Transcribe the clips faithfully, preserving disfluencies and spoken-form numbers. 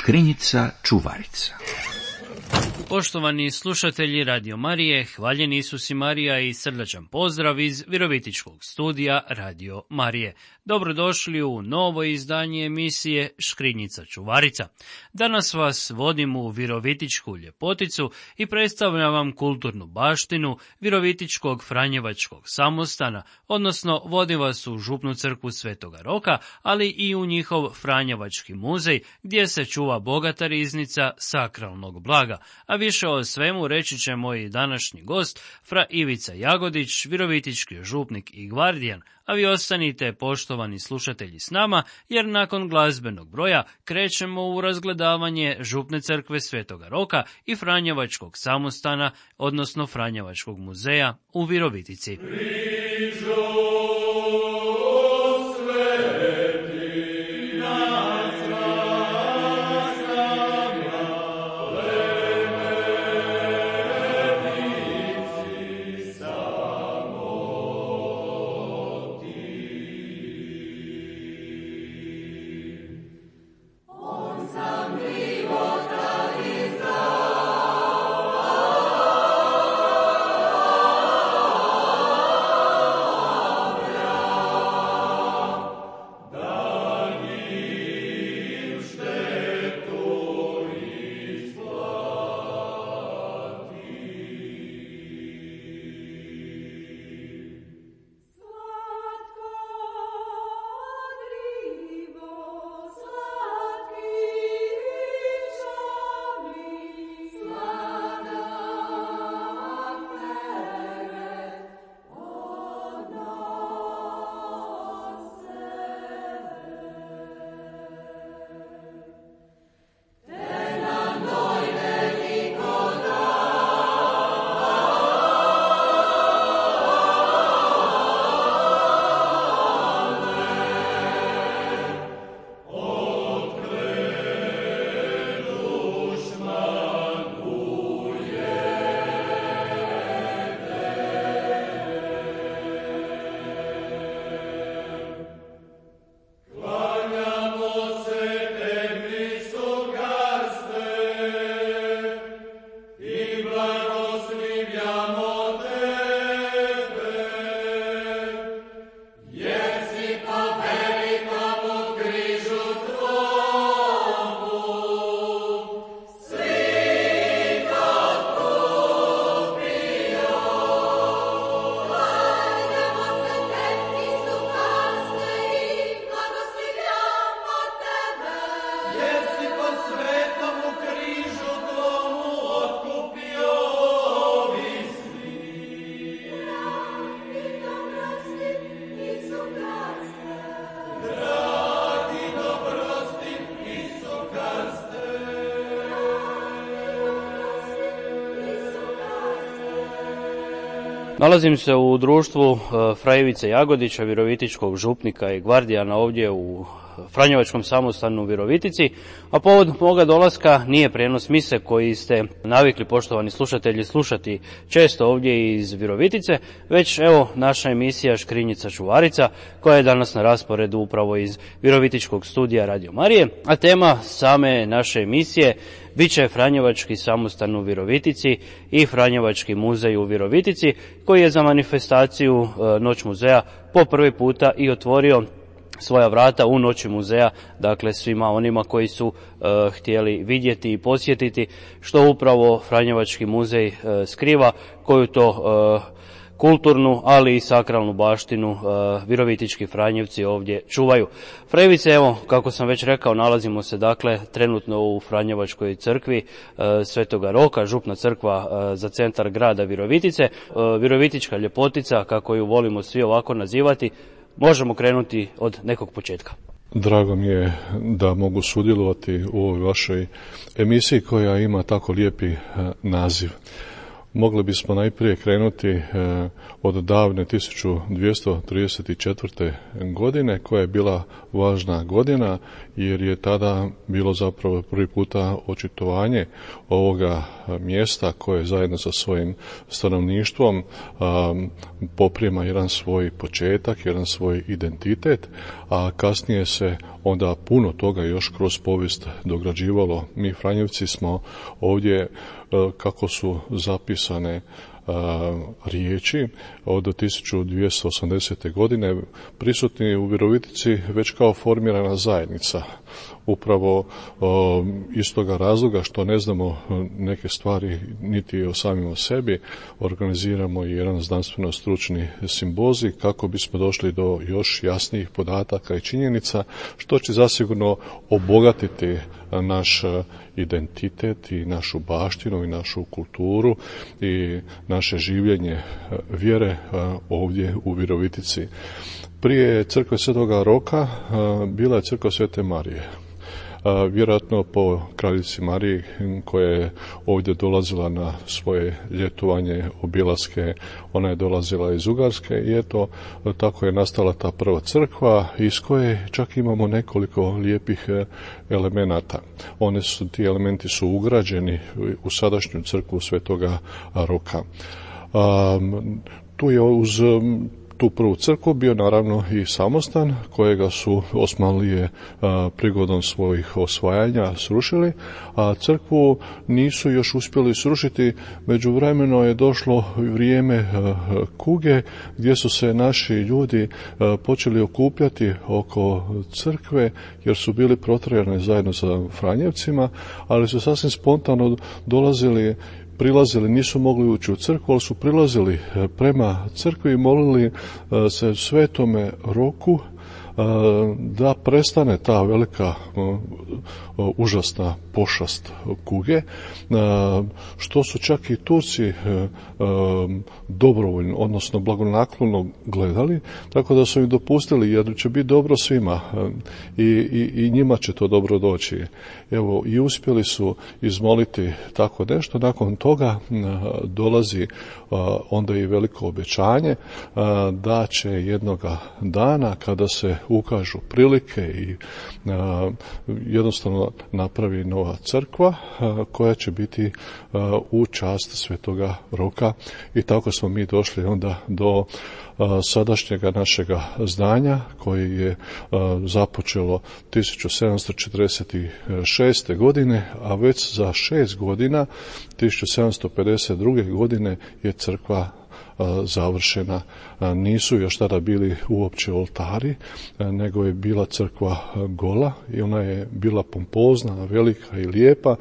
Škrinjica čuvarica. Poštovani slušatelji Radio Marije, hvaljen Isus i Marija i srdačan pozdrav iz Virovitičkog studija Radio Marije. Dobrodošli u novo izdanje emisije Škrinjica čuvarica. Danas vas vodim u Virovitičku ljepoticu i predstavljam vam kulturnu baštinu Virovitičkog Franjevačkog samostana, odnosno vodim vas u župnu crkvu Svetoga Roka, ali i u njihov Franjevački muzej gdje se čuva bogata riznica sakralnog blaga. A više o svemu reći će moj današnji gost, fra Ivica Jagodić, virovitički župnik i gvardijan, a vi ostanite, poštovani slušatelji, s nama, jer nakon glazbenog broja krećemo u razgledavanje župne crkve Svetoga Roka i Franjevačkog samostana, odnosno Franjevačkog muzeja u Virovitici. Nalazim se u društvu fra Ivice Jagodića, virovitičkog župnika i gvardijana ovdje u Franjevačkom samostanu u Virovitici, a povod moga dolaska nije prijenos mise koji ste navikli, poštovani slušatelji, slušati često ovdje iz Virovitice, već evo naša emisija Škrinjica čuvarica koja je danas na rasporedu upravo iz Virovitičkog studija Radio Marije, a tema same naše emisije bit će Franjevački samostan u Virovitici i Franjevački muzej u Virovitici koji je za manifestaciju Noć muzeja po prvi puta i otvorio svoja vrata u Noći muzeja, dakle svima onima koji su uh, htjeli vidjeti i posjetiti što upravo Franjevački muzej uh, skriva, koju to uh, kulturnu, ali i sakralnu baštinu uh, virovitički Franjevci ovdje čuvaju. Fra Ivice, evo, kako sam već rekao, nalazimo se dakle trenutno u Franjevačkoj crkvi uh, Svetoga Roka, župna crkva uh, za centar grada Virovitice, uh, Virovitička ljepotica, kako ju volimo svi ovako nazivati. Možemo krenuti od nekog početka. Drago mi je da mogu sudjelovati u ovoj vašoj emisiji koja ima tako lijepi naziv. Mogli bismo najprije krenuti od davne tisuću dvjesto trideset četvrte. godine koja je bila važna godina jer je tada bilo zapravo prvi puta očitovanje ovoga mjesta koje zajedno sa svojim stanovništvom um, poprima jedan svoj početak, jedan svoj identitet, a kasnije se onda puno toga još kroz povijest dograđivalo. Mi Franjevci smo ovdje, kako su zapisane riječi od tisuću dvjesto osamdesete. godine prisutni u Virovitici već kao formirana zajednica. Upravo o, iz toga razloga što ne znamo neke stvari niti o samim o sebi, organiziramo jedan znanstveno-stručni simbozij kako bismo došli do još jasnijih podataka i činjenica, što će zasigurno obogatiti naš identitet i našu baštinu i našu kulturu i naše življenje vjere ovdje u Virovitici. Prije crkve Svetoga Roka bila je crkva Svete Marije. Vjerojatno po kraljici Mariji koja je ovdje dolazila na svoje ljetovanje, obilaske, ona je dolazila iz Ugarske i eto tako je nastala ta prva crkva iz koje čak imamo nekoliko lijepih elemenata. One su, ti elementi su ugrađeni u sadašnju crkvu Svetoga Roka. Um, tu je uz tu prvu crkvu bio naravno i samostan kojega su Osmanlije a, prigodom svojih osvajanja srušili, a crkvu nisu još uspjeli srušiti. Međuvremeno je došlo vrijeme a, kuge gdje su se naši ljudi a, počeli okupljati oko crkve jer su bili protjerani zajedno sa Franjevcima, ali su sasvim spontano dolazili prilazili, nisu mogli ući u crkvu, ali su prilazili prema crkvi i molili se Svetome Roku da prestane ta velika užasna pošast kuge, što su čak i Turci dobrovoljno, odnosno blagonaklono gledali, tako da su im dopustili jer će biti dobro svima i, i, i njima će to dobro doći. Evo, i uspjeli su izmoliti tako nešto. Nakon toga dolazi onda i veliko obećanje da će jednoga dana kada se ukažu prilike i jednostavno napravi nova crkva koja će biti u čast Svetoga Roka i tako smo mi došli onda do sadašnjega našega zdanja koje je započelo tisuću sedamsto četrdeset šeste. godine, a već za šest godina, tisuću sedamsto pedeset druge. godine je crkva završena. Nisu još tada bili uopće oltari, nego je bila crkva gola i ona je bila pompozna, velika i lijepa.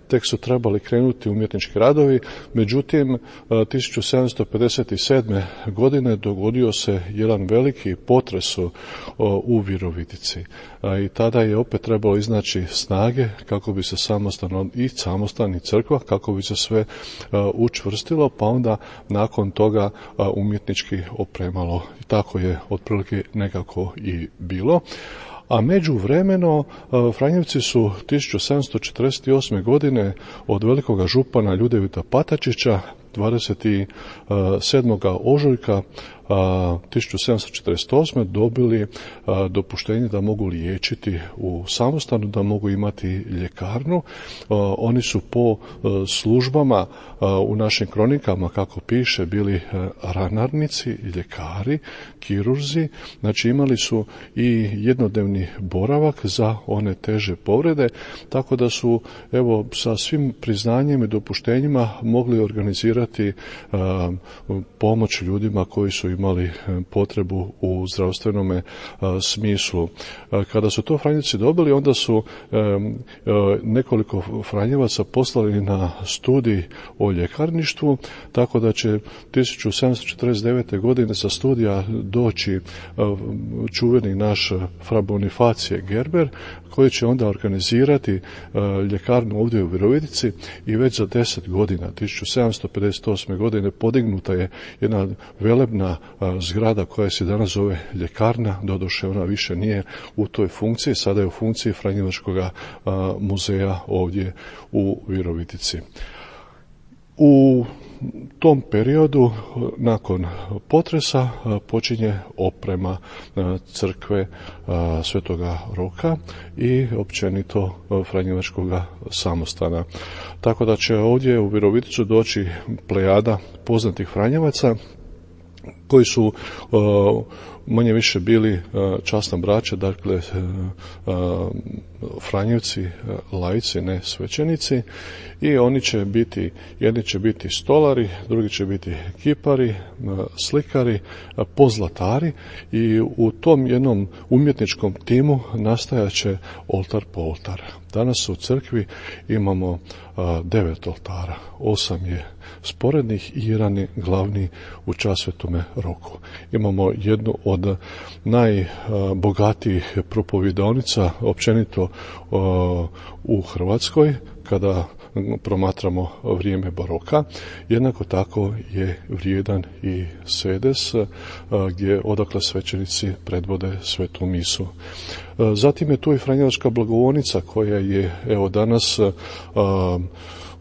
Tek su trebali krenuti umjetnički radovi. Međutim, tisuću sedamsto pedeset sedme. godine dogodio se jedan veliki potres u Virovitici. I tada je opet trebalo iznaći snage kako bi se samostan i samostan i crkva, kako bi se sve učvrstilo, pa onda nakon toga umjetnički opremalo. I tako je otprilike nekako i bilo. A međuvremeno Franjevci su tisuću sedamsto četrdeset osme. godine od velikoga župana Ljudevita Patačića dvadeset sedmoga ožujka tisuću sedamsto četrdeset osme. dobili dopuštenje da mogu liječiti u samostanu, da mogu imati ljekarnu. Oni su po službama u našim kronikama, kako piše, bili ranarnici, ljekari, kirurzi, znači imali su i jednodnevni boravak za one teže povrede, tako da su evo sa svim priznanjem i dopuštenjima mogli organizirati pomoć ljudima koji su imali potrebu u zdravstvenome smislu. Kada su to Franjevci dobili, onda su nekoliko Franjevaca poslali na studij o ljekarništvu, tako da će tisuću sedamsto četrdeset devete. godine sa studija doći čuveni naš fra Bonifacije Gerber, koji će onda organizirati ljekarnu ovdje u Virovitici i već za deset godina, tisuću sedamsto pedeset osme. godine, podignuta je jedna velebna zgrada koja se danas zove ljekarna, doduše ona više nije u toj funkciji, sada je u funkciji Franjevačkog muzeja ovdje u Virovitici. U tom periodu, nakon potresa, počinje oprema crkve Svetoga Roka i općenito Franjevačkog samostana. Tako da će ovdje u Viroviticu doći plejada poznatih Franjevaca koji su manje više bili časna braća, dakle Franjevci, laici, ne svećenici, i oni će biti, jedni će biti stolari, drugi će biti kipari, slikari, pozlatari, i u tom jednom umjetničkom timu nastajaće oltar po oltar. Danas u crkvi imamo devet oltara, osam je sporednih i jedan je glavni u čast Svetome Roku. Imamo jednu od najbogatijih propovidaonica općenito u Hrvatskoj kada promatramo vrijeme baroka. Jednako tako je vrijedan i sedes gdje odakle svećenici predvode svetu misu. Zatim je tu i Franjevačka blagovonica koja je evo danas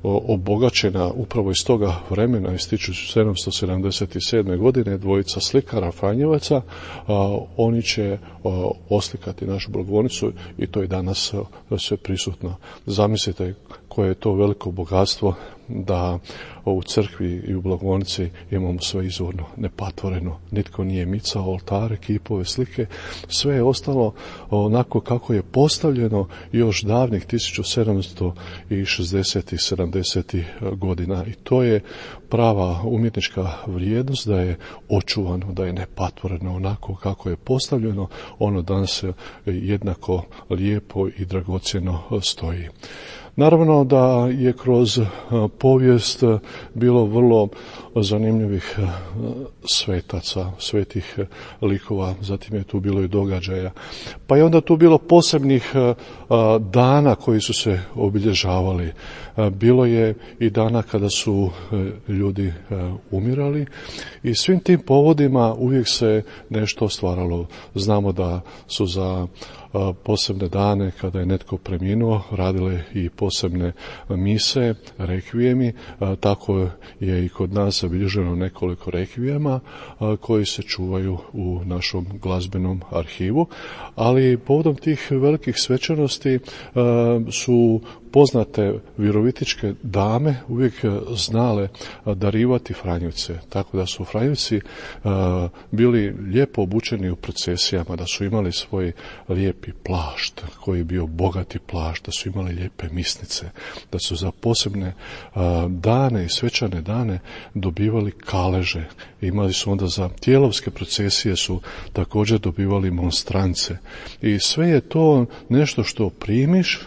obogaćena upravo iz toga vremena, iz tisuću sedamsto sedamdeset sedme. godine, dvojica slikara Franjevaca, a, oni će a, oslikati našu blagovonicu i to je danas a, sve prisutno. Zamislite koje je to veliko bogatstvo da u crkvi i u blagovonici imamo sve izvorno, nepatvoreno. Nitko nije micao oltare, kipove, slike, sve je ostalo onako kako je postavljeno još davnih tisuću sedamsto šezdesetih i sedamdesetih godina. I to je prava umjetnička vrijednost, da je očuvano, da je nepatvoreno onako kako je postavljeno, ono danas jednako lijepo i dragocjeno stoji. Naravno da je kroz povijest bilo vrlo zanimljivih svetaca, svetih likova, zatim je tu bilo i događaja. Pa je onda tu bilo posebnih dana koji su se obilježavali. Bilo je i dana kada su ljudi umirali i svim tim povodima uvijek se nešto stvaralo. Znamo da su za posebne dane kada je netko preminuo radile i posebne mise, rekvijemi, tako je i kod nas zabilježeno nekoliko rekvijema koji se čuvaju u našom glazbenom arhivu, ali povodom tih velikih svečanosti su poznate virovitičke dame uvijek znale darivati Franjevce, tako da su Franjevci bili lijepo obučeni u procesijama, da su imali svoj lijepi plašt koji je bio bogati plašt, da su imali lijepe misnice, da su za posebne dane i svečane dane dobivali kaleže. Imali su onda za tijelovske procesije su također dobivali monstrance. I sve je to nešto što primiš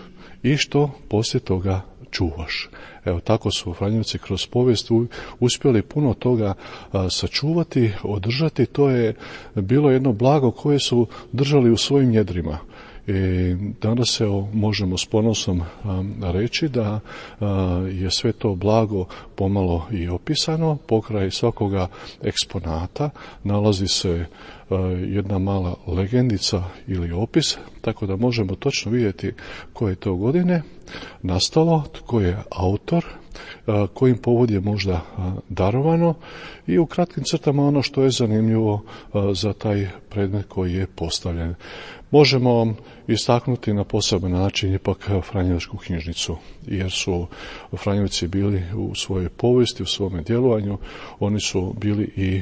i što poslije toga čuvaš. Evo, tako su Franjevci kroz povijest uspjeli puno toga a, sačuvati, održati. To je bilo jedno blago koje su držali u svojim jedrima. I danas se možemo s ponosom a, reći da a, je sve to blago pomalo i opisano. Pokraj svakoga eksponata nalazi se a, jedna mala legendica ili opis, tako da možemo točno vidjeti koje je to godine nastalo, tko je autor, kojim povod je možda darovano i u kratkim crtama ono što je zanimljivo za taj predmet koji je postavljen. Možemo istaknuti na poseban način ipak Franjevačku knjižnicu, jer su Franjevci bili u svojoj povijesti, u svome djelovanju, oni su bili i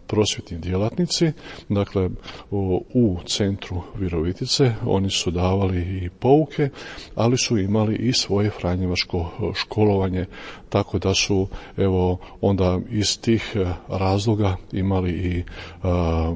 prosvjetni djelatnici, dakle u, u centru Virovitice oni su davali i pouke, ali su imali i svoje franjevačko školovanje, tako da su evo onda iz tih razloga imali i a,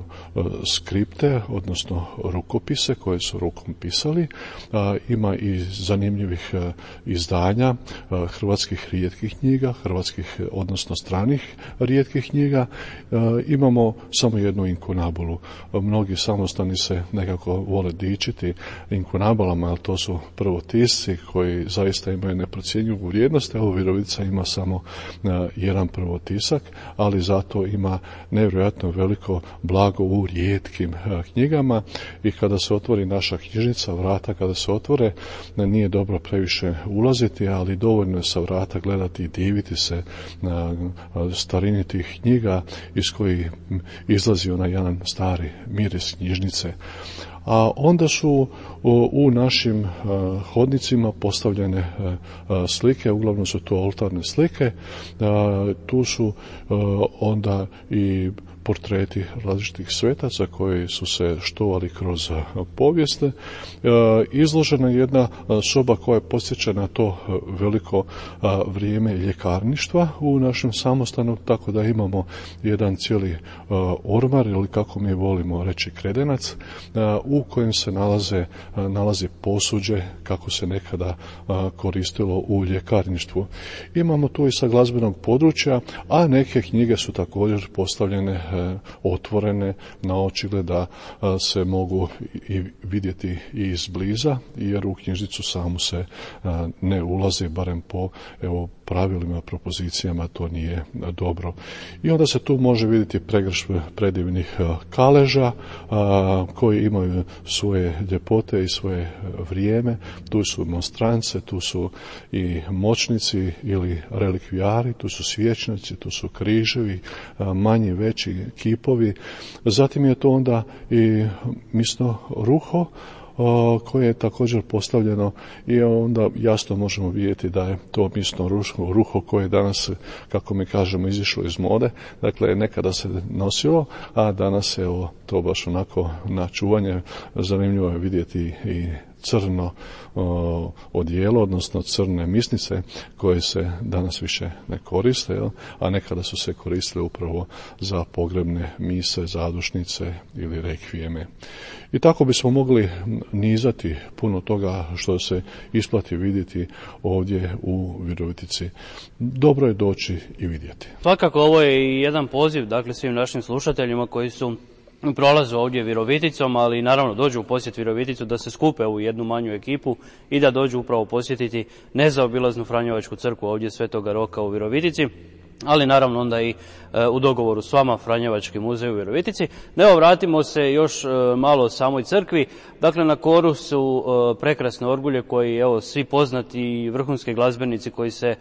skripte, odnosno rukopise koje su rukom pisali. A, ima i zanimljivih a, izdanja a, hrvatskih rijetkih knjiga, hrvatskih odnosno stranih rijetkih knjiga. A, imamo samo jednu inkunabulu. Mnogi samostani se nekako vole dičiti inkunabalama, ali to su prvotisci koji zaista imaju neprocjenjivu vrijednost. Evo, Virovitica ima samo a, jedan prvotisak, ali zato ima nevjerojatno veliko blago u rijetkim a, knjigama, i kada se otvori naša knjižnica, vrata kada se otvore, nije dobro previše ulaziti, ali dovoljno je sa vrata gledati i diviti se na starini tih knjiga iz kojih izlazi onaj jedan stari miris knjižnice. A onda su u našim hodnicima postavljene slike, uglavnom su to oltarne slike, tu su onda i portreti različitih svetaca koji su se štovali kroz povijest. Izložena je jedna soba koja podsjeća na to veliko vrijeme ljekarništva u našem samostanu, tako da imamo jedan cijeli ormar, ili kako mi volimo reći kredenac, u kojem se nalaze, nalazi posuđe kako se nekada koristilo u ljekarništvu. Imamo tu i sa glazbenog područja, a neke knjige su također postavljene otvorene na očigled da se mogu i vidjeti i izbliza, jer u knjižnicu samu se ne ulazi, barem po evo, pravilima, propozicijama to nije dobro. I onda se tu može vidjeti pregršt predivnih kaleža koji imaju svoje ljepote i svoje vrijeme. Tu su monstrance, tu su i moćnici ili relikvijari, tu su svječnici, tu su križevi, manji, veći kipovi. Zatim je to onda i misno ruho koje je također postavljeno i onda jasno možemo vidjeti da je to misno ruho, ruho koje je danas, kako mi kažemo, izišlo iz mode. Dakle, nekada se nosilo, a danas je evo, to baš onako na čuvanje. Zanimljivo je vidjeti i crno o, odijelo, odnosno crne misnice koje se danas više ne koriste, jel? A nekada su se koristile upravo za pogrebne mise, zadušnice ili rekvijeme. I tako bismo mogli nizati puno toga što se isplati vidjeti ovdje u Virovitici. Dobro je doći i vidjeti. Svakako ovo je i jedan poziv, dakle, svim našim slušateljima koji su prolaze ovdje Viroviticom, ali naravno dođu u posjet Viroviticu, da se skupe u jednu manju ekipu i da dođu upravo posjetiti nezaobilaznu Franjevačku crkvu ovdje Svetoga Roka u Virovitici, ali naravno onda i e, u dogovoru s vama Franjevački muzej u Virovitici. Evo, vratimo se još e, malo o samoj crkvi. Dakle, na koru su e, prekrasne orgulje koji, evo, svi poznati vrhunski glazbenici koji se e,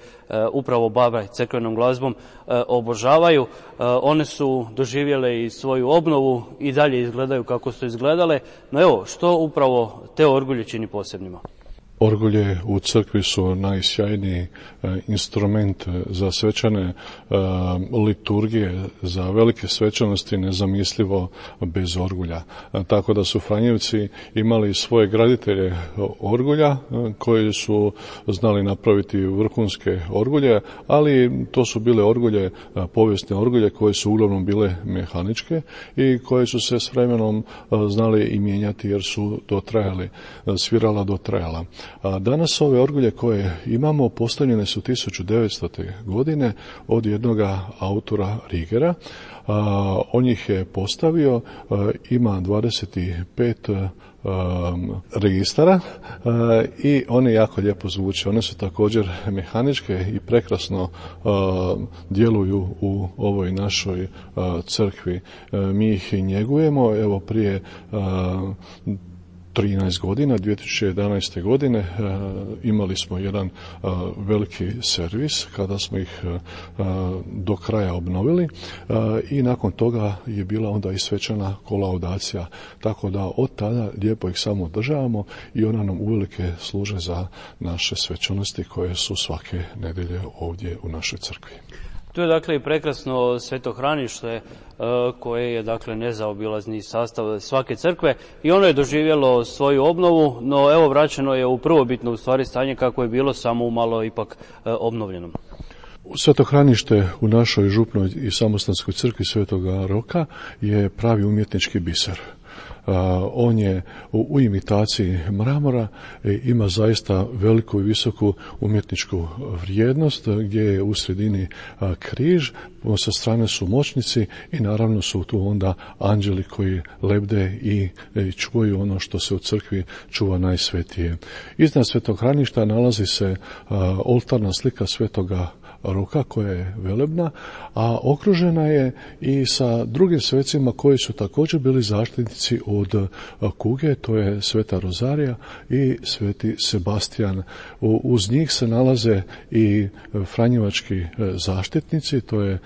upravo bave crkvenom glazbom e, obožavaju. E, one su doživjele i svoju obnovu i dalje izgledaju kako su izgledale. No evo, što upravo te orgulje čini posebnima? Orgulje u crkvi su najsjajniji instrument za svečane liturgije, za velike svečanosti nezamislivo bez orgulja. Tako da su Franjevci imali svoje graditelje orgulja koji su znali napraviti vrhunske orgulje, ali to su bile orgulje, povijesne orgulje koje su uglavnom bile mehaničke i koje su se s vremenom znali i mijenjati jer su dotrajali, svirala dotrajala. A danas ove orgulje koje imamo postavljene su tisuću devetstote godine od jednoga autora Rigera. A, on ih je postavio, a, ima dvadeset pet Um, registara uh, i one jako lijepo zvuče. One su također mehaničke i prekrasno uh, djeluju u ovoj našoj uh, crkvi. Uh, mi ih njegujemo, evo prije uh, trinaest godina, dvije tisuće jedanaeste godine e, imali smo jedan e, veliki servis kada smo ih e, do kraja obnovili e, i nakon toga je bila onda i svečana kolaudacija, tako da od tada lijepo ih samo održavamo i ona nam uvelike služe za naše svečanosti koje su svake nedjelje ovdje u našoj crkvi. Tu je dakle i prekrasno svetohranište koje je dakle nezaobilazni sastav svake crkve i ono je doživjelo svoju obnovu, no evo vraćeno je u prvobitno u stvari stanje kako je bilo, samo umalo ipak obnovljeno. Svetohranište u našoj župnoj i samostanskoj crkvi Svetoga Roka je pravi umjetnički biser. Uh, on je u, u imitaciji mramora, e, ima zaista veliku i visoku umjetničku vrijednost, gdje je u sredini uh, križ, sa strane su moćnici i naravno su tu onda anđeli koji lebde i, i čuvaju ono što se u crkvi čuva najsvetije. Iznad svetohraništa nalazi se uh, oltarna slika Svetoga ruka koja je velebna, a okružena je i sa drugim svecima koji su također bili zaštitnici od kuge, to je Sveta Rozarija i Sveti Sebastijan. Uz njih se nalaze i franjevački zaštitnici, to je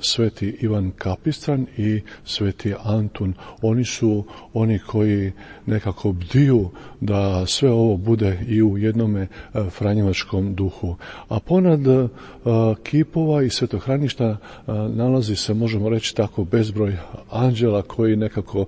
Sveti Ivan Kapistran i Sveti Antun. Oni su oni koji nekako bdiju da sve ovo bude i u jednome franjevačkom duhu. A ponad kipova i svetohraništa nalazi se, možemo reći tako, bezbroj anđela koji nekako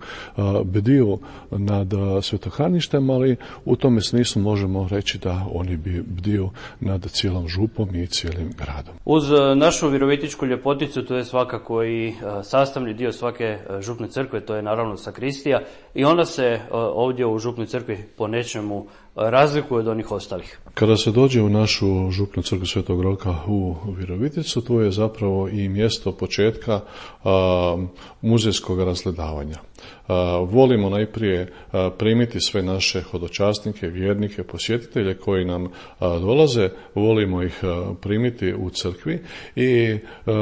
bdiju nad svetohraništem, ali u tome smislu možemo reći da oni bi bdiju nad cijelom župom i cijelim gradom. Uz našu virovitičku ljepoticu, to je svakako i sastavni dio svake župne crkve, to je naravno sakristija, i ona se ovdje u župnoj crkvi po nečemu razlikuje od onih ostalih. Kada se dođe u našu župnu crkvu Svetog Roka u Viroviticu, to je zapravo i mjesto početka a, muzejskog razgledavanja. A, volimo najprije a, primiti sve naše hodočasnike, vjernike, posjetitelje koji nam a, dolaze, volimo ih a, primiti u crkvi i a,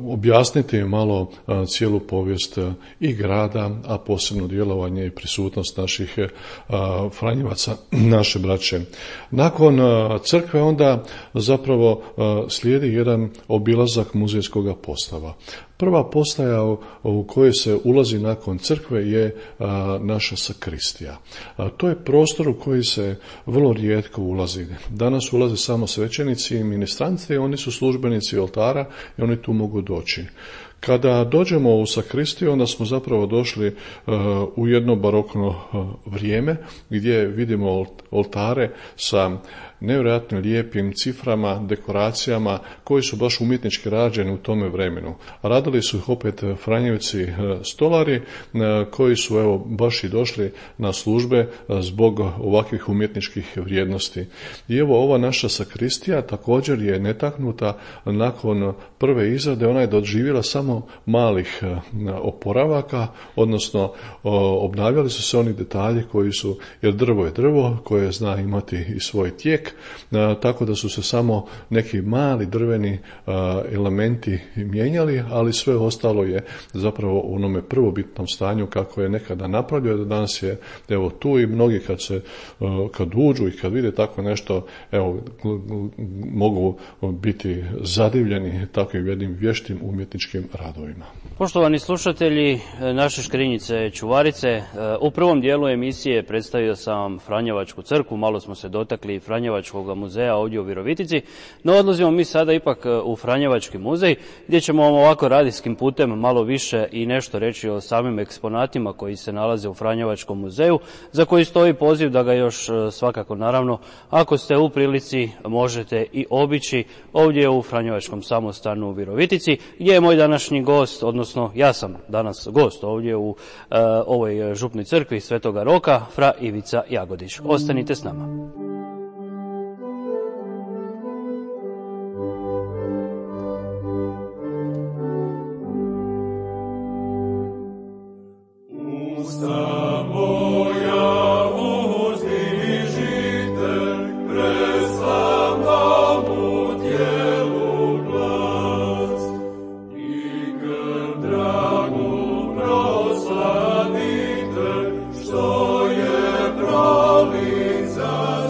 objasniti malo a, cijelu povijest a, i grada, a posebno djelovanje i prisutnost naših a, franjevaca, naše braće. Nakon crkve onda zapravo slijedi jedan obilazak muzejskog postava. Prva postaja u kojoj se ulazi nakon crkve je naša sakristija. To je prostor u koji se vrlo rijetko ulazi. Danas ulaze samo svećenici i ministranti, oni su službenici oltara i oni tu mogu doći. Kada dođemo u sakristiju, onda smo zapravo došli uh, u jedno barokno uh, vrijeme gdje vidimo oltare sa nevjerojatno lijepim ciframa, dekoracijama koji su baš umjetnički rađeni u tome vremenu. Radili su ih opet Franjevci stolari koji su evo baš i došli na službe zbog ovakvih umjetničkih vrijednosti. I evo ova naša sakristija također je netaknuta nakon prve izrade, ona je doživjela samo malih oporavaka, odnosno obnavljali su se oni detalji koji su, jer drvo je drvo koje zna imati i svoj tijek, tako da su se samo neki mali drveni elementi mijenjali, ali sve ostalo je zapravo u onome prvobitnom stanju kako je nekada napravljeno, danas je evo tu i mnogi kad se kad uđu i kad vide tako nešto, evo mogu biti zadivljeni takvim jednim vještim umjetničkim radovima. Poštovani slušatelji naše Škrinjice Čuvarice, u prvom dijelu emisije predstavio sam Franjevačku crkvu, malo smo se dotakli Franjevačkog muzeja ovdje u Virovitici, no odlazimo mi sada ipak u Franjevački muzej, gdje ćemo vam ovako radijskim putem malo više i nešto reći o samim eksponatima koji se nalaze u Franjevačkom muzeju, za koji stoji poziv da ga još svakako naravno, ako ste u prilici, možete i obići ovdje u Franjevačkom samostanu u Virovitici, gdje je moj današnji gost, odnosno ja sam danas gost ovdje u uh, ovoj župnoj crkvi Svetoga Roka, fra Ivica Jagodić. Ostanite s nama. Što je prolica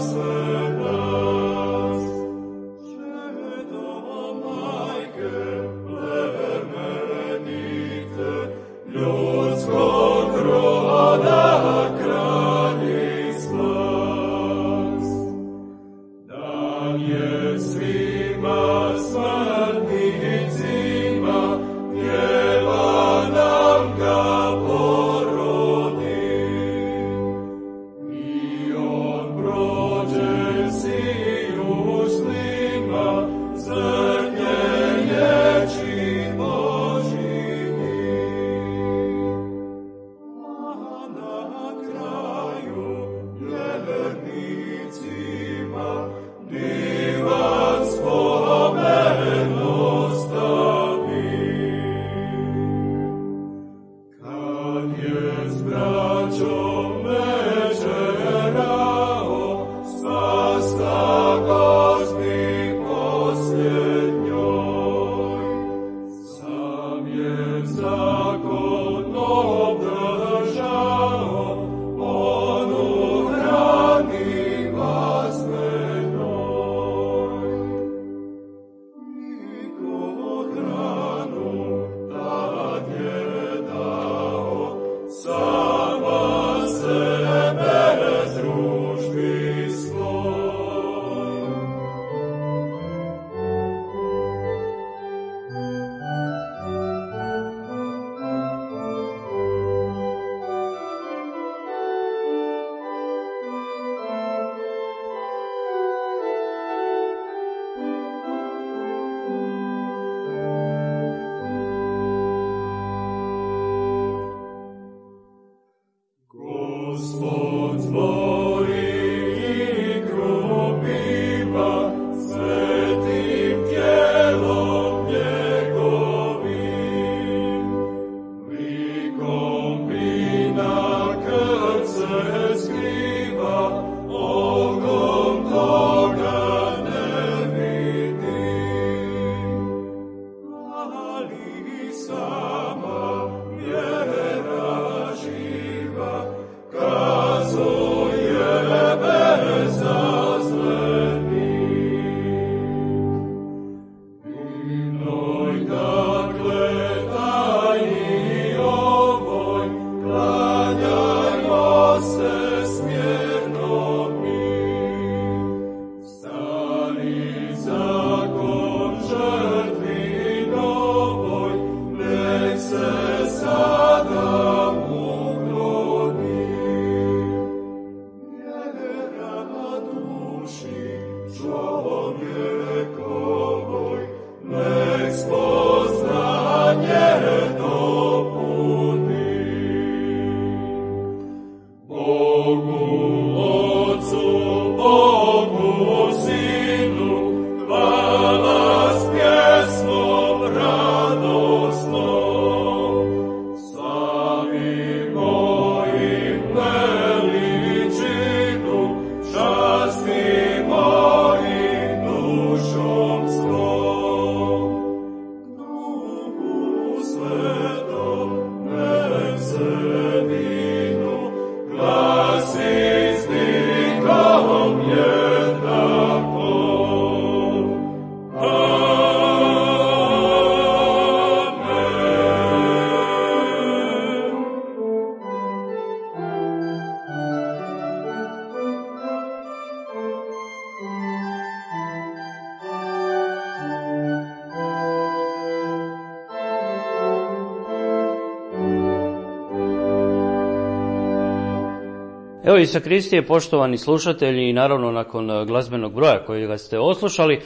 Evo i sakristije, poštovani slušatelji, i naravno nakon glazbenog broja kojega ste oslušali,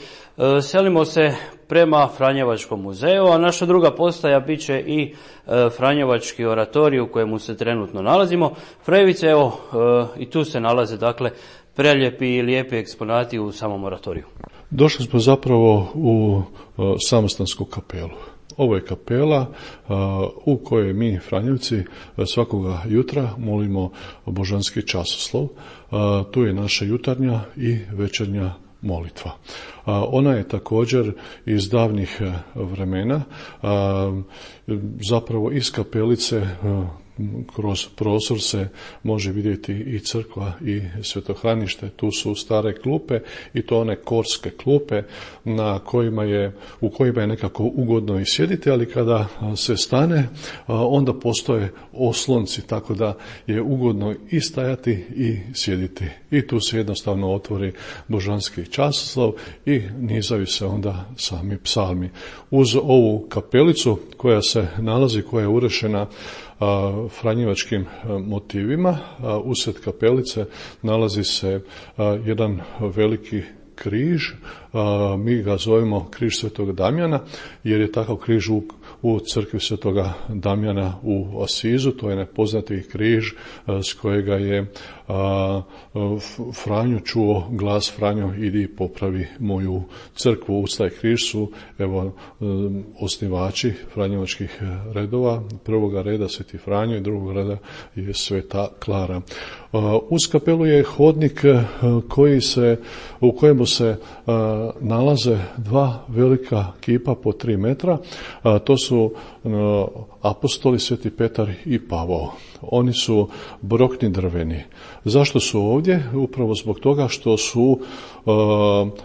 selimo se prema Franjevačkom muzeju, a naša druga postaja bit će i Franjevački oratorij u kojemu se trenutno nalazimo. Frajevice, evo, i tu se nalaze, dakle, prelijepi i lijepi eksponati u samom oratoriju. Došli smo zapravo u samostansku kapelu. Ovo je kapela u kojoj mi, Franjevci, svakoga jutra molimo božanski časoslov. Tu je naša jutarnja i večernja molitva. Ona je također iz davnih vremena, zapravo iz kapelice kroz prozor se može vidjeti i crkva i svetohranište. Tu su stare klupe i to one korske klupe na kojima je, u kojima je nekako ugodno i sjediti, ali kada se stane onda postoje oslonci, tako da je ugodno i stajati i sjediti. I tu se jednostavno otvori božanski časoslov i nizaju se onda sami psalmi. Uz ovu kapelicu koja se nalazi, koja je urešena franjevačkim motivima, usred kapelice nalazi se jedan veliki križ, mi ga zovemo križ Svetog Damjana, jer je takav križ u, u crkvi Svetoga Damjana u Asizu. To je nepoznati križ s kojega je a, Franjo čuo glas: Franjo, idi popravi moju crkvu. Uz taj križ su, evo, osnivači franjevačkih redova, prvoga reda Sveti Franjo i drugog reda je Sveta Klara. Uz kapelu je hodnik koji se, u kojemu se nalaze dva velika kipa po tri metra. To su apostoli Sveti Petar i Pavao. Oni su brokni drveni. Zašto su ovdje? Upravo zbog toga što su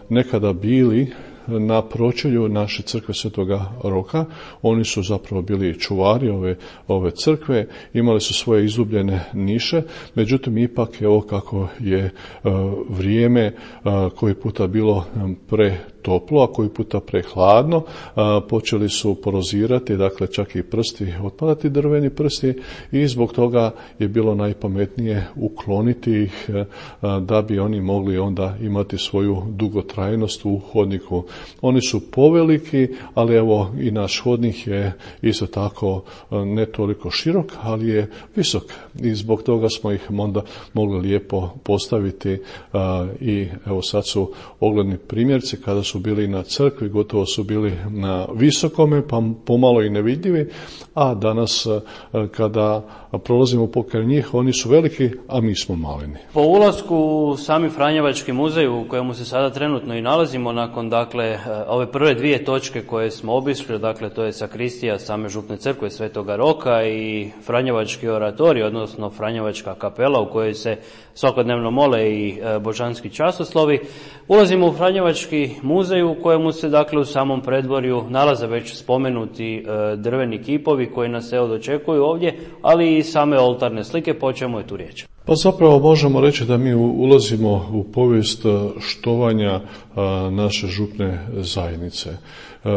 nekada bili na pročelju naše crkve Svetoga Roka. Oni su zapravo bili čuvari ove, ove crkve, imali su svoje izgubljene niše, međutim ipak evo kako je uh, vrijeme uh, koji puta bilo pre toplo, a koji puta prehladno, a, počeli su porozirati, dakle čak i prsti, otpadati drveni prsti, i zbog toga je bilo najpametnije ukloniti ih a, da bi oni mogli onda imati svoju dugotrajnost u hodniku. Oni su poveliki, ali evo i naš hodnik je isto tako a, ne toliko širok, ali je visok, i zbog toga smo ih onda mogli lijepo postaviti a, i evo sad su ogledni primjerci kada su su bili na crkvi, gotovo su bili na visokome, pa pomalo i nevidljivi, a danas kada prolazimo pokraj njih, oni su veliki, a mi smo maleni. Po ulasku u sami Franjevački muzej, u kojemu se sada trenutno i nalazimo, nakon dakle ove prve dvije točke koje smo obišli, dakle to je sakristija same župne crkve Svetoga Roka i Franjevački oratorij, odnosno Franjevačka kapela u kojoj se svakodnevno mole i božanski časoslovi, ulazimo u Franjevački muzej u kojemu se dakle u samom predvorju nalaze već spomenuti drveni kipovi koji nas evo dočekuju ovdje, ali i same oltarne slike, po čemu je tu riječ. Pa zapravo možemo reći da mi ulazimo u povijest štovanja naše župne zajednice.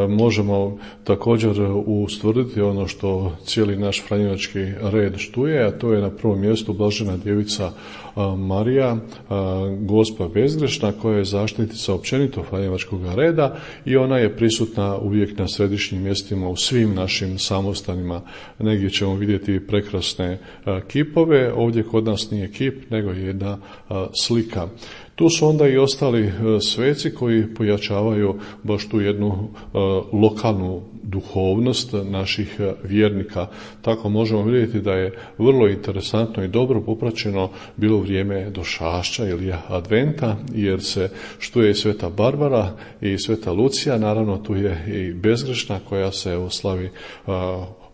Možemo također ustvrditi ono što cijeli naš franjevački red štuje, a to je na prvom mjestu Blažena djevica Marija, Gospa bezgrešna, koja je zaštitnica općenito franjevačkog reda i ona je prisutna uvijek na središnjim mjestima u svim našim samostanima. Negdje ćemo vidjeti prekrasne kipove, ovdje kod nas nije kip, nego je jedna slika. Tu su onda i ostali sveci koji pojačavaju baš tu jednu uh, lokalnu duhovnost naših vjernika. Tako možemo vidjeti da je vrlo interesantno i dobro popraćeno bilo vrijeme došašća ili adventa, jer se štuje i Sveta Barbara i Sveta Lucija, naravno tu je i bezgrešna koja se oslavi uh,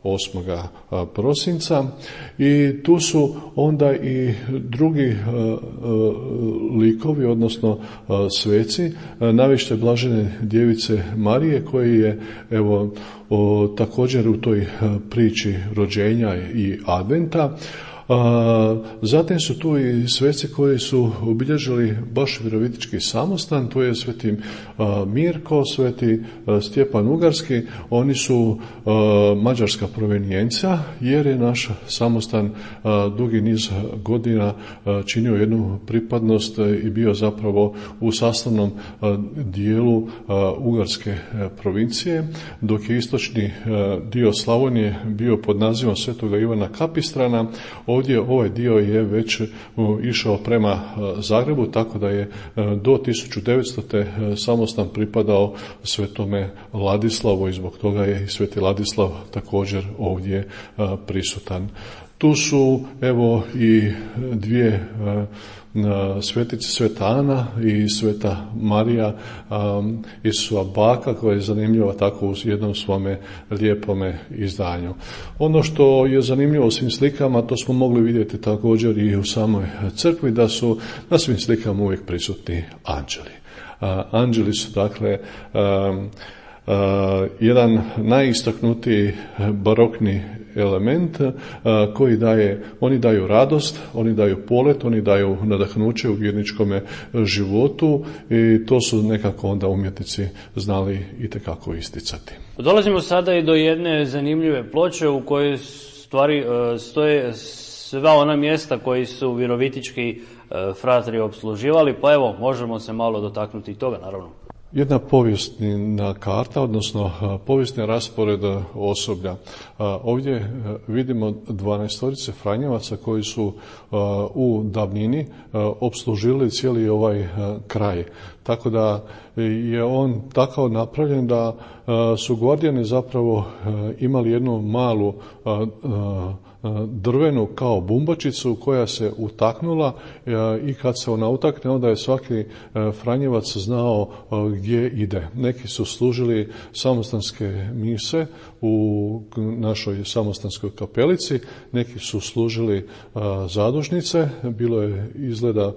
osmoga prosinca i tu su onda i drugi likovi, odnosno sveci, navište Blažene djevice Marije, koji je evo o, također u toj priči rođenja i adventa. A, zatim su tu i sveci koji su obilježili baš virovitički samostan, to je sveti a, Mirko, sveti a, Stjepan Ugarski. Oni su a, mađarska provenijencija, jer je naš samostan a, dugi niz godina a, činio jednu pripadnost i bio zapravo u sastavnom a, dijelu a, Ugarske a, provincije, dok je istočni a, dio Slavonije bio pod nazivom Svetoga Ivana Kapistrana. Ovdje ovaj dio je već išao prema Zagrebu, tako da je do tisuću devetstote samostan pripadao Svetome Ladislavu i zbog toga je i Sveti Ladislav također ovdje prisutan. Tu su evo i dvije svetice, Sveta Ana i Sveta Marija um, Isusova baka, koja je zanimljiva tako u jednom svome lijepome izdanju. Ono što je zanimljivo u svim slikama, to smo mogli vidjeti također i u samoj crkvi, da su na svim slikama uvijek prisutni anđeli. Uh, anđeli su dakle um, Uh, jedan najistaknutiji barokni element uh, koji daje, oni daju radost, oni daju polet, oni daju nadahnuće u vjerničkome životu i to su nekako onda umjetnici znali itekako isticati. Dolazimo sada i do jedne zanimljive ploče u kojoj stvari uh, stoje sva ona mjesta koji su virovitički uh, fratri opsluživali, pa evo možemo se malo dotaknuti i toga naravno. Jedna povijesna karta, odnosno povijesni raspored osoblja. Ovdje vidimo dvanaestorice Franjevaca koji su u davnini opslužili cijeli ovaj kraj. Tako da je on tako napravljen da su Gvardijani zapravo imali jednu malu drvenu kao bumbačicu koja se utaknula i kad se ona utakne, onda je svaki Franjevac znao gdje ide. Neki su služili samostanske mise u našoj samostanskoj kapelici, neki su služili zadušnice, bilo je izgleda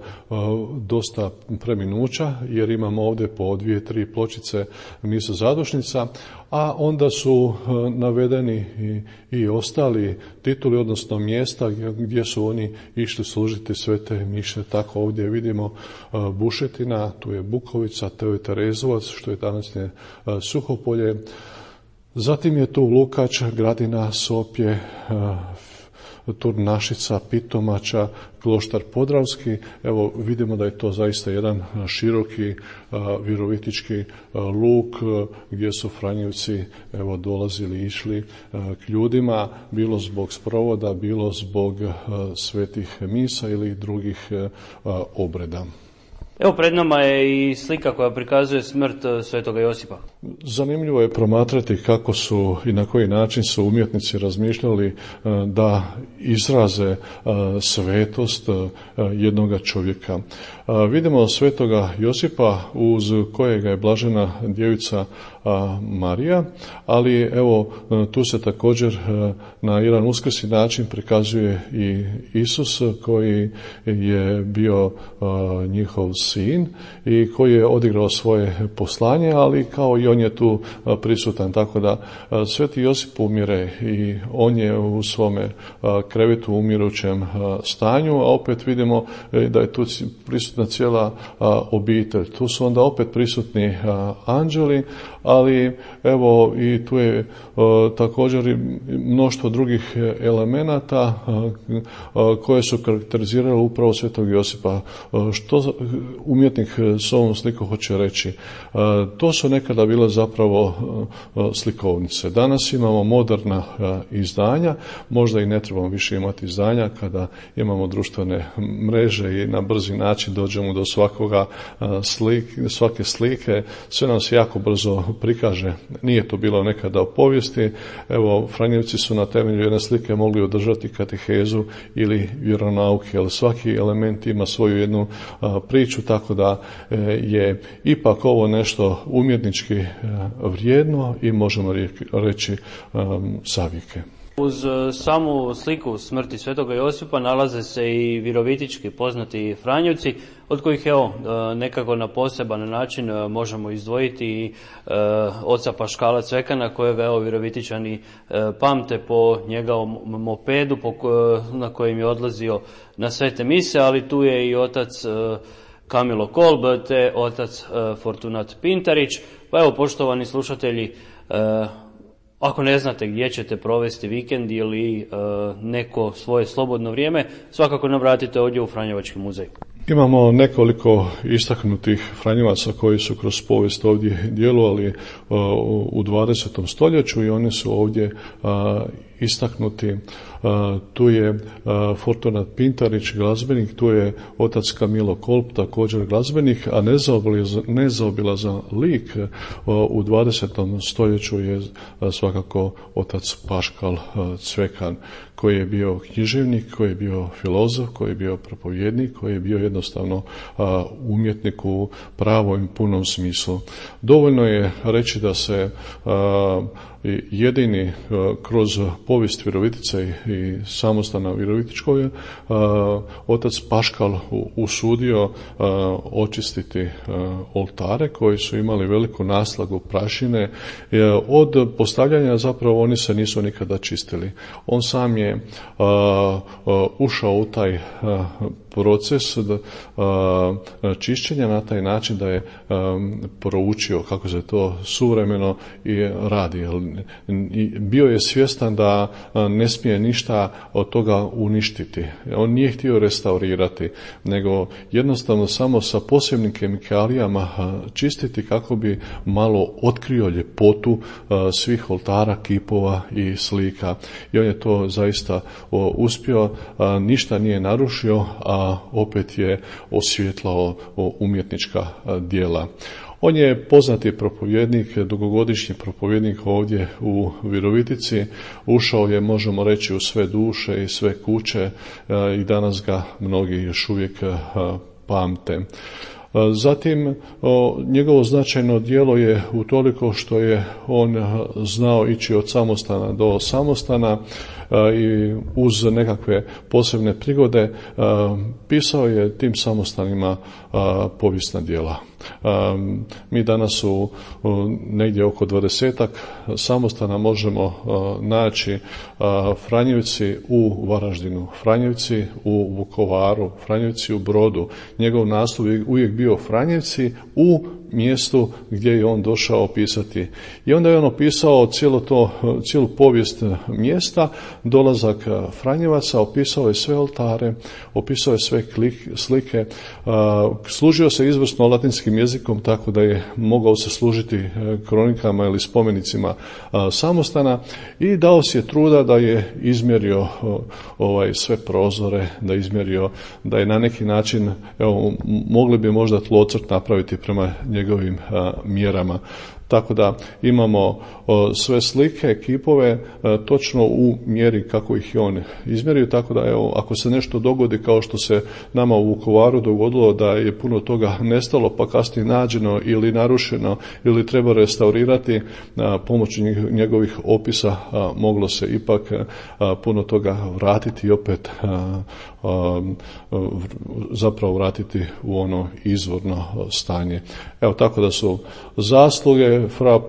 dosta preminuća, jer imamo ovdje po dvije, tri pločice misa zadušnica, a onda su navedeni i, i ostali tituli, odnosno mjesta gdje su oni išli služiti svete miše. Tako ovdje vidimo Bušetina, tu je Bukovica, to je Terezovac, što je današnje Suhopolje. Zatim je tu Lukač, Gradina, Sopje, Turnašica, Pitomača, Kloštar Podravski. Evo vidimo da je to zaista jedan široki a, virovitički a, luk a, gdje su Franjevci evo dolazili i išli a, k ljudima, bilo zbog sprovoda, bilo zbog a, svetih misa ili drugih a, obreda. Evo pred nama je i slika koja prikazuje smrt Svetoga Josipa. Zanimljivo je promatrati kako su i na koji način su umjetnici razmišljali da izraze svetost jednoga čovjeka. Vidimo Svetoga Josipa uz kojega je Blažena djevica Marija, ali evo tu se također na jedan uskrsni način prikazuje i Isus koji je bio njihov sin i koji je odigrao svoje poslanje, ali kao i on je tu prisutan. Tako da Sveti Josip umire i on je u svome krevetu u umirućem stanju, a opet vidimo da je tu prisutna cijela obitelj. Tu su onda opet prisutni anđeli, ali evo i tu je također i mnoštvo drugih elemenata koje su karakterizirale upravo Svetog Josipa. Što umjetnik s ovom slikom hoće reći? To su nekada bile zapravo slikovnice. Danas imamo moderna izdanja, možda i ne trebamo više imati izdanja kada imamo društvene mreže i na brzi način dođemo do svakoga slike, svake slike, sve nam se jako brzo prikaže. Nije to bilo nekada u povijesti. Evo, Franjevci su na temelju jedne slike mogli održati katehezu ili vjeronauke, ali svaki element ima svoju jednu a, priču, tako da e, je ipak ovo nešto umjetnički e, vrijedno i možemo reći a, savjeke. Uz samu sliku smrti Svetoga Josipa nalaze se i virovitički poznati Franjevci, od kojih evo nekako na poseban način možemo izdvojiti i oca Paškala Cvekana, kojega evo virovitičani pamte po njegovom mopedu po, na kojem je odlazio na svete mise, ali tu je i otac Kamilo Kolb te otac Fortunat Pintarić. Pa evo, poštovani slušatelji, ako ne znate gdje ćete provesti vikend ili e, neko svoje slobodno vrijeme, svakako nam vratite ovdje u Franjevački muzej. Imamo nekoliko istaknutih Franjevaca koji su kroz povijest ovdje djelovali uh, u dvadesetom stoljeću i oni su ovdje uh, istaknuti. Uh, tu je uh, Fortunat Pintarić, glazbenik, tu je otac Kamilo Kolb, također glazbenik, a nezaobilazan lik uh, u dvadesetom stoljeću je uh, svakako otac Paškal uh, Cvekan, koji je bio književnik, koji je bio filozof, koji je bio propovjednik, koji je bio jednostavno a, umjetnik u pravom i punom smislu. Dovoljno je reći da se a, jedini a, kroz povijest Virovitice i samostana Virovitičkog je otac Paškal usudio a, očistiti a, oltare koji su imali veliku naslagu prašine. A, od postavljanja zapravo oni se nisu nikada čistili. On sam je A, a, ušao u taj a, proces da, a, čišćenja na taj način da je a, proučio kako se to suvremeno i radi. I bio je svjestan da a, ne smije ništa od toga uništiti. On nije htio restaurirati, nego jednostavno samo sa posebnim kemikalijama a, čistiti kako bi malo otkrio ljepotu a, svih oltara, kipova i slika. I on je to zaista o, uspio, a, ništa nije narušio, a opet je osvjetlao umjetnička djela. On je poznati propovjednik, dugogodišnji propovjednik ovdje u Virovitici. Ušao je, možemo reći, u sve duše i sve kuće i danas ga mnogi još uvijek pamte. Zatim, njegovo značajno djelo je utoliko što je on znao ići od samostana do samostana i uz nekakve posebne prigode pisao je tim samostanima povijesna djela. Mi danas u negdje oko dvadesetak samostana možemo naći Franjevci u Varaždinu, Franjevci u Vukovaru, Franjevci u Brodu. Njegov naslov je uvijek bio Franjevci u mjestu gdje je on došao opisati. I onda je on opisao cijelo to, cijelu povijest mjesta, dolazak Franjevaca, opisao je sve oltare, opisao je sve klik, slike, služio se izvrsno latinskim jezikom, tako da je mogao se služiti kronikama ili spomenicima samostana i dao si je truda da je izmjerio ovaj sve prozore, da je izmjerio, da je na neki način, evo, mogli bi možda tlocrt napraviti prema njegovim a, mjerama. Tako da imamo sve slike, kipove točno u mjeri kako ih je on izmjerio, tako da evo, ako se nešto dogodi kao što se nama u Vukovaru dogodilo da je puno toga nestalo pa kasnije nađeno ili narušeno ili treba restaurirati, pomoću njegovih opisa moglo se ipak puno toga vratiti i opet zapravo vratiti u ono izvorno stanje. Evo, tako da su zasluge fra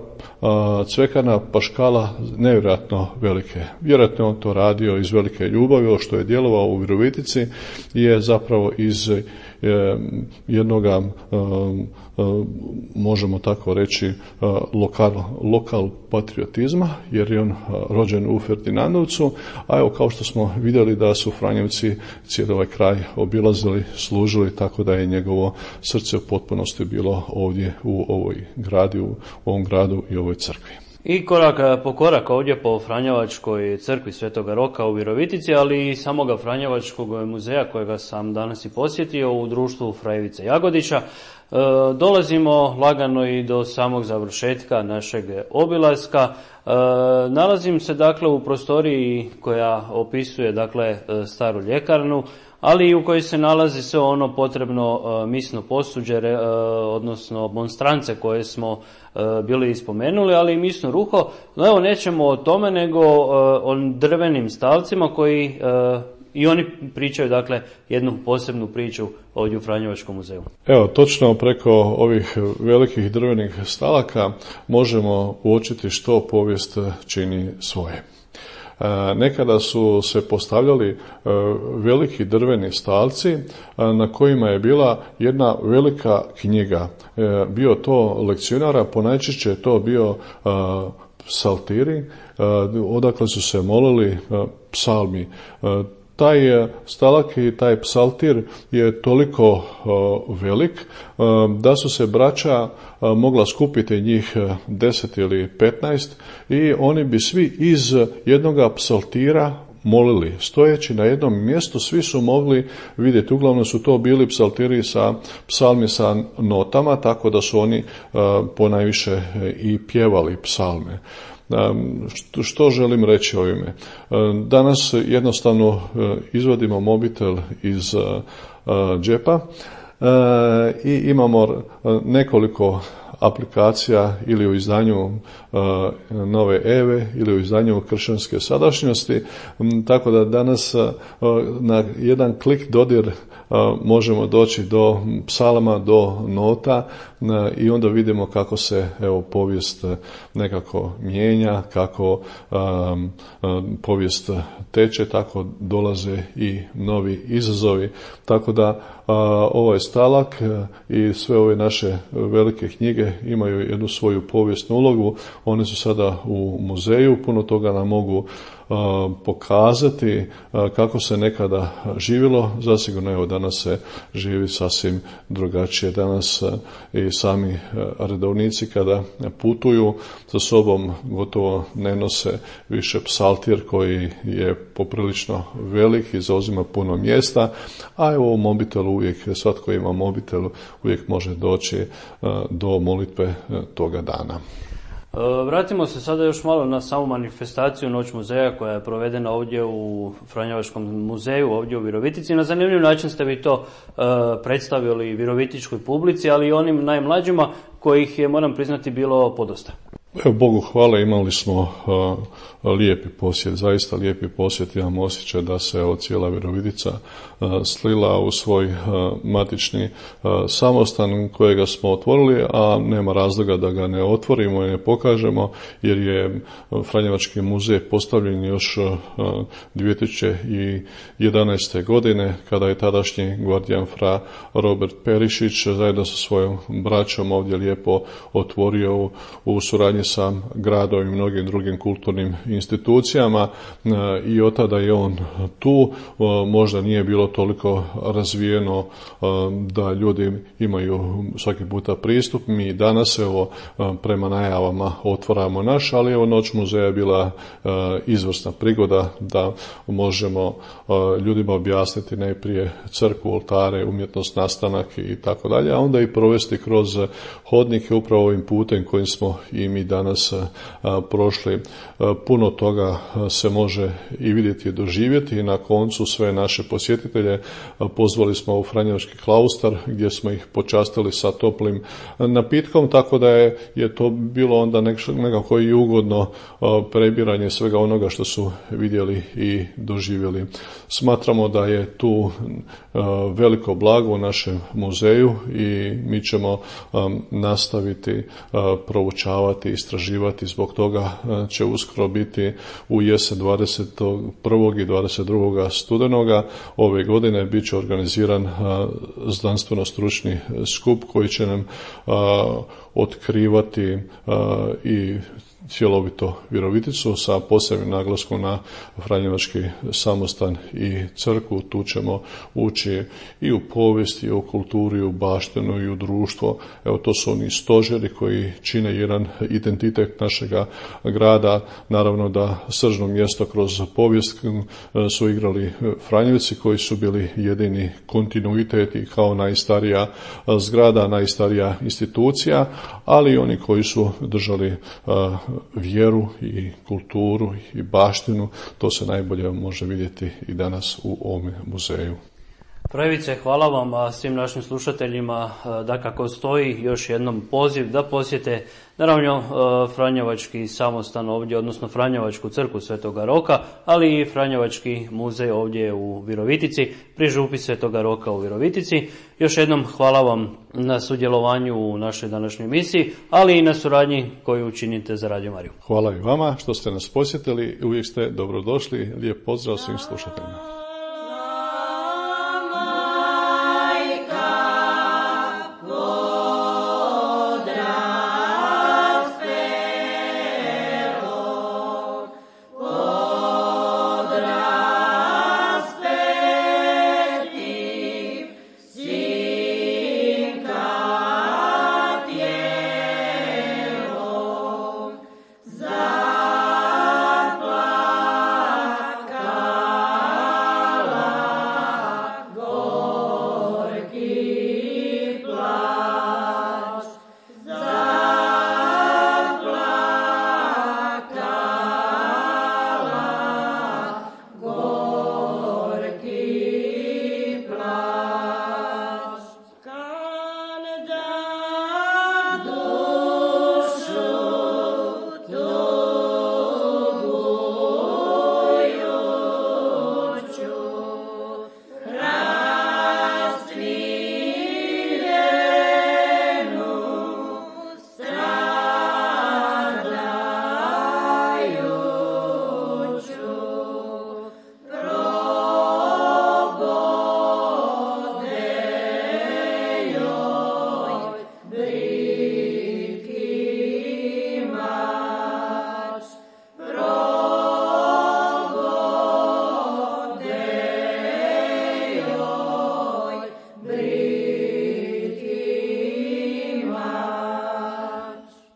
Cvekana Paškala nevjerojatno velike. Vjerojatno on to radio iz velike ljubavi, ovo što je djelovao u Virovitici je zapravo iz jednoga, možemo tako reći, lokal, lokal patriotizma, jer je on rođen u Ferdinandovcu, a evo, kao što smo vidjeli da su Franjevci cijeli ovaj kraj obilazili, služili, tako da je njegovo srce u potpunosti bilo ovdje u ovoj gradi, u ovom gradu i ovoj crkvi. I korak po korak ovdje po Franjevačkoj crkvi Svetoga Roka u Virovitici, ali i samoga Franjevačkog muzeja kojega sam danas i posjetio u društvu Fra Ivice Jagodića, e, dolazimo lagano i do samog završetka našeg obilaska. E, nalazim se dakle u prostoriji koja opisuje dakle staru ljekarnu, ali i u kojoj se nalazi sve ono potrebno e, misno posuđe, e, odnosno monstrance koje smo e, bili ispomenuli, ali i misno ruho. No evo, nećemo o tome, nego e, o drvenim stalcima koji e, i oni pričaju dakle jednu posebnu priču ovdje u Franjevačkom muzeju. Evo, točno preko ovih velikih drvenih stalaka možemo uočiti što povijest čini svoje. Nekada su se postavljali veliki drveni stalci na kojima je bila jedna velika knjiga. Bio to lekcionara, ponajčešće je to bio psaltiri, odakle su se molili psalmi. Taj stalak i taj psaltir je toliko velik da su se braća mogla skupiti njih deset ili petnaest i oni bi svi iz jednoga psaltira molili. Stojeći na jednom mjestu svi su mogli vidjeti. Uglavnom su to bili psaltiri sa psalmi sa notama, tako da su oni ponajviše i pjevali psalme. Što želim reći ovime? Danas jednostavno izvadimo mobitel iz džepa i imamo nekoliko aplikacija ili u izdanju Nove Eve ili u izdanju Kršćanske sadašnjosti, tako da danas na jedan klik dodir možemo doći do psalama, do nota i onda vidimo kako se evo povijest nekako mijenja, kako um, povijest teče, tako dolaze i novi izazovi. Tako da uh, ovaj stalak i sve ove naše velike knjige imaju jednu svoju povijesnu ulogu. One su sada u muzeju, puno toga nam mogu pokazati kako se nekada živjelo. Zasigurno evo danas se živi sasvim drugačije. Danas i sami redovnici kada putuju sa sobom gotovo ne nose više psaltir koji je poprilično velik i zauzima puno mjesta, a evo u mobitelu uvijek, svatko ima mobitel, uvijek može doći do molitve toga dana. Vratimo se sada još malo na samu manifestaciju Noć muzeja koja je provedena ovdje u Franjevačkom muzeju, ovdje u Virovitici. Na zanimljiv način ste vi to uh, predstavili virovitičkoj publici, ali i onim najmlađima kojih je, moram priznati, bilo podosta. Evo, Bogu hvala, imali smo uh, lijepi posjet, zaista lijepi posjet. Imam osjećaj da se evo, cijela Virovitica uh, slila u svoj uh, matični uh, samostan kojega smo otvorili, a nema razloga da ga ne otvorimo i ne pokažemo, jer je Franjevački muzej postavljen još uh, dvije tisuće jedanaeste. godine, kada je tadašnji gvardijan fra Robert Perišić zajedno sa svojom braćom ovdje lijepo otvorio u, u suradnji sa gradom i mnogim drugim kulturnim institucijama i od tada je on tu. Možda nije bilo toliko razvijeno da ljudi imaju svaki puta pristup. Mi danas evo prema najavama otvaramo naš, ali evo Noć muzeja je bila izvrsna prigoda da možemo ljudima objasniti najprije crkvu, oltare, umjetnost, nastanak i tako dalje, a onda i provesti kroz hodnike upravo ovim putem kojim smo i mi danas prošli. Puno toga se može i vidjeti i doživjeti i na koncu sve naše posjetitelje pozvali smo u Franjevački klaustar gdje smo ih počastili sa toplim napitkom, tako da je, je to bilo onda nekako i ugodno prebiranje svega onoga što su vidjeli i doživjeli. Smatramo da je tu veliko blago u našem muzeju i mi ćemo nastaviti proučavati, istraživati. Zbog toga će uskoro biti u jesen dvadeset prvog i dvadeset drugog studenoga ove godine bit će organiziran znanstveno-stručni skup koji će nam otkrivati i cjelovito Viroviticu sa posebnim naglaskom na Franjevački samostan i crkvu. Tu ćemo ući i u povijest, i u kulturu, i u baštinu, i u društvo. Evo, to su oni stožeri koji čine jedan identitet našega grada. Naravno da sržno mjesto kroz povijest su igrali Franjevci koji su bili jedini kontinuitet i kao najstarija zgrada, najstarija institucija, ali i oni koji su držali vjeru i kulturu i baštinu. To se najbolje može vidjeti i danas u ovom muzeju. Frajevice, hvala vam, a svim našim slušateljima da kako stoji još jednom poziv da posjete naravno Franjevački samostan ovdje, odnosno Franjevačku crkvu Svetoga Roka, ali i Franjevački muzej ovdje u Virovitici, pri župi Svetoga Roka u Virovitici. Još jednom hvala vam na sudjelovanju u našoj današnjoj emisiji, ali i na suradnji koju činite za Radio Mariju. Hvala i vama što ste nas posjetili, uvijek ste dobrodošli. Lijep pozdrav svim slušateljima.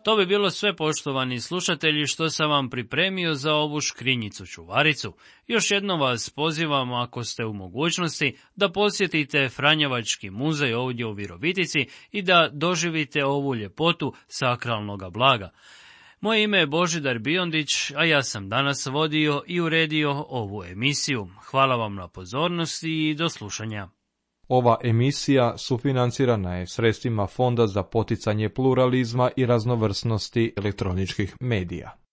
To bi bilo sve, poštovani slušatelji, što sam vam pripremio za ovu škrinjicu čuvaricu. Još jednom vas pozivam, ako ste u mogućnosti, da posjetite Franjevački muzej ovdje u Virovitici i da doživite ovu ljepotu sakralnoga blaga. Moje ime je Božidar Biondić, a ja sam danas vodio i uredio ovu emisiju. Hvala vam na pozornosti i do slušanja. Ova emisija sufinancirana je sredstvima Fonda za poticanje pluralizma i raznovrsnosti elektroničkih medija.